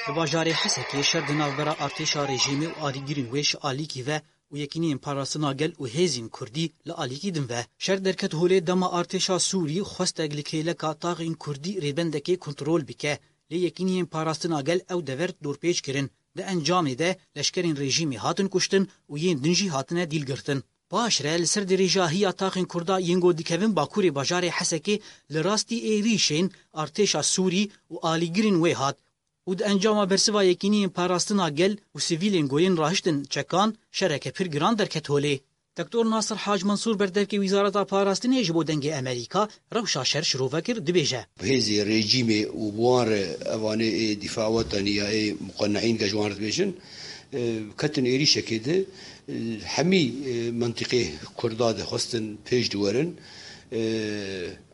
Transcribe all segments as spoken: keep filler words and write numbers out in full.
Li bajarê Hesekê şer di navbera artêşa rejîmê û alîgirên wê ji alîkî ve û Yekîniyên Parastina Gel û hêzên Kurdî li alîkî din ve. Şer derket holê dema artêşa Sûrî xwestek li kêleka taxên Kurdî rêbendekê kontrol bike. Lê Yekîniyên Parastina Gel ew dever dorpêç kirin. Di encamê de leşkerên rejîmê hatin kuştin û yên din jî hatine dîl girtin. Paşre li ser dirêjahiya taxên Kurda yên ku dikevin bakurê bajarê Hesekê li rastî êrîşên artêşa Sûrî û alîgirên wê hat û di encama bersiva Yekîniyên Parastina Gel û sivîlên ku yên rahiştin çekan şereke pir giran derket holê. Doktor Nasir Hac Mansûr berdevkê Wîzareta Parastinê ji bo Dengê Amerîka rewşa şer şirove kir, dibêje. Hêzê rejîmê û bi wan re evanê ê dîfa wetanî ya ê muqeneîn ge ji wan re dibêjin, e, ketin êrîşekê de, e, hemî, e, mentiqê Kurda de xwestin pêş diwerin. E,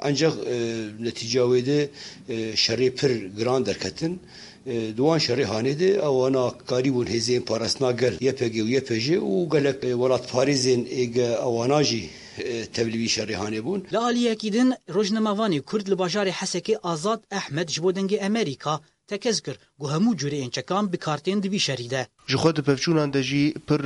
Encax, e, netîca wê de, e, şerê pir giran derketin. E, di wan şerê hanê de ewana karîbûn hêzên parastina gel, Y P G û Y P J û gelek, e, welatparêzên êge ewana jî, e, tevlî vî şerê hanê bûn. Li aliyekî din, rojnamevanê Kurd li bajarê Hesekê Azad Ehmed ji bo Dengê Amerîka tekez kir ku hemû cûreyên çekan bi kar tên di vî şerî de. Ji xwe di pevçûnan de jî pir,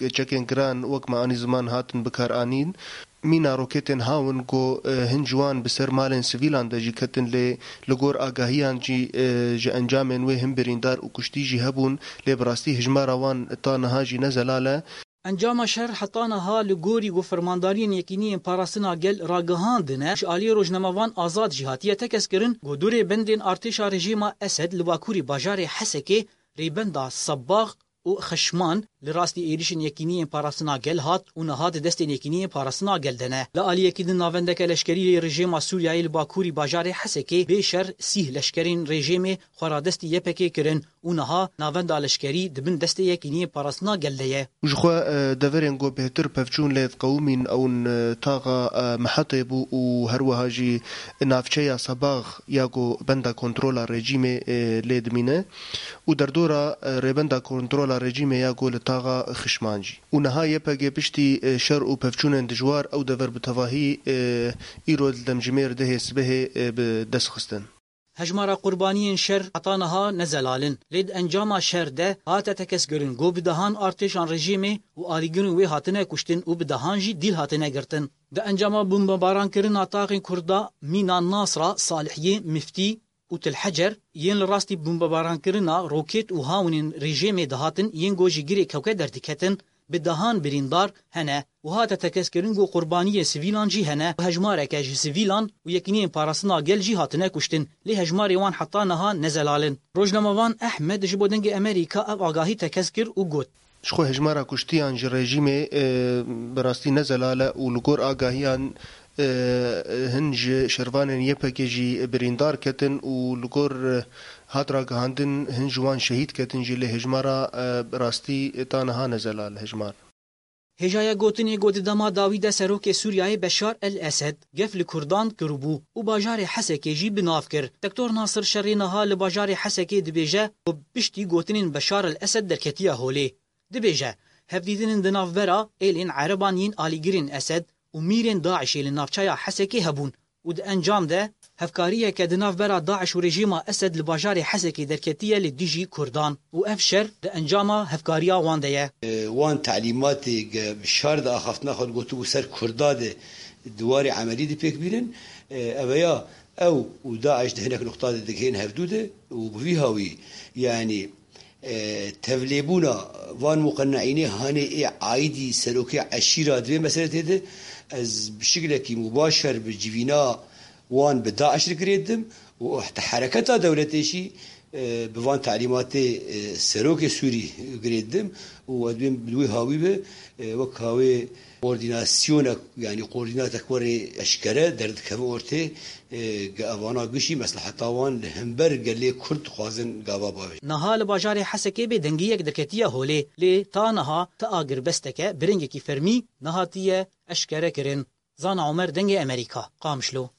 e, çekên giran wek me anî ziman hatin bikaranîn. Mîna roketên hawin ku, e, hin ji wan bi ser malên sivîlan de jî ketin, lê li gor agahiyan jî, e, ji encamên wê hin birîndar û kuştî jî hebûn, lê bi rastî hijmara wan ta niha jî ne zelal e. Encama şer heta niha li gorî ku fermandariyên Yekîniyên Parastina Gel ragihandine, ji aliyê rojnamevan Azad jî hatiye tekez kirin ku du rêbendên artêşa rejîma Esed li bakurî bajarê Hesekê, rêbenda Sebax û Xişman, li rastî êrîşên Yekîniyên Parastina Gel hat û niha di destên Yekîniyên Parastina Gel de ne. Li aliyekî din navendeke leşkerî yê rejîma Sûriyeyê li bakurî bajarê Hesekê bê şer sîh leşkerên rejîmê xwe radestî Y P G kirin û niha navenda leşkerî di bin destê Yekîniyên Parastina Gel de ye. Ji xwe, e, deverên ku bêhtir pevçûn lê diqewimîn ew in, e, taxa, e, Mihetê bû û her wiha jî navçeya Sebax ya ku benda kontrola rejîmê, e, lê dimîne û derdora, e, rêbenda kontrola rejîmê ya ku li taxa Xişman jî. Û niha Y P G piştî, e, şer û pevçûnên dijwar ew dever bi tevahî, e, îro li demjimêr dehê sibehê, e, bi dest xistin. Hejmara qurbaniyên şer heta niha ne zelal in. Lê di encama şer de hate tekez kirin ku bi dehan artêşan rejîmê û alîgirên wê hatine kuştin û bi dehan jî dîl hatine girtin. Di encama bombebarankirina taxên Kurda mîna Nasra, Salihiyê, Miftî û Til Hecer yên li rastî bombebarankirina roket û hawinên rejîmê dihatin yên ku ji girê kewke derdiketin, bi dehan birîndar hene û hate tekezkirin ku qurbaniyên sivîlan jî hene û hejmareke ji sivîlan û Yekîniyên Parastina Gel jî hatine kuştin, lê hejmarê wan heta niha ne zelal in. Rojnamevan Ehmed ji bo Dengê Amerîka ev agahî tekez kir û got. Ji xwe hejmara kuştiyan ji rejîmê, e, bi rastî ne zelal e û li gor agahiyan, e, hin ji şervanên Y P G jî birîndar ketin û li gor, e, hat ragihandin hin ji wan şehîd ketin jî, lê hejmara, e, bi rastî ta niha ne zelal hejmar. Hêjaya gotinê ku di dema dawî de serokê Sûriyeyê Beşar El Esed gef li Kurdan kiribû û bajarê Hesekê jî bi nav kir. Doktor Nasir şerê niha li bajarê Hesekê dibêje ku piştî gotinên Beşar El Esed derketiye holê. Dibêje, hevdîtinên di navbera êlên ereban yên alîgirên Esed û mîrên DAIŞê li navçeya Hesekê hebûn û di encam de hevkariyeke di navbera DAIŞ û rejîma Esed li bajarê Hesekê derketiye li dijî Kurdan û ev şer di encama hevkariya wan de ye. Wan talîmatê ge bi şar de axaftina xwe digotibû ser Kurda de di warê emelî dipêk bînin. Eveya ew û DAIŞ di hinek nuqta de digihên hevdû de û bi vî hawî, yanî, e, tevlêbûna van muqeneînê hanê ê aîdî serokê eşîra di vê meseletê de ez bi şiklekî mubaşer bi civîna wan bi DAIŞ re girê didim û heta hereketa dewletê jî, e, bi van talîmatê, e, serokê Sûrî girê didim û ez dibêm bi wî hawî be, e, wek hawê koordînasyonek, yanî koordînatek werê eşkere derdikeve ortê, e, ge evana gişî mesleheta wan li hember gelê Kurd dixwazin gava bavêjin. Niha li bajarê Hesekê bêdengiyek derketiye holê, lê ta niha ti agirbesteke bi rengekî fermî nehatiye eşkere kirin. Zana Omer, Dengê Amerîka, Qamişlo.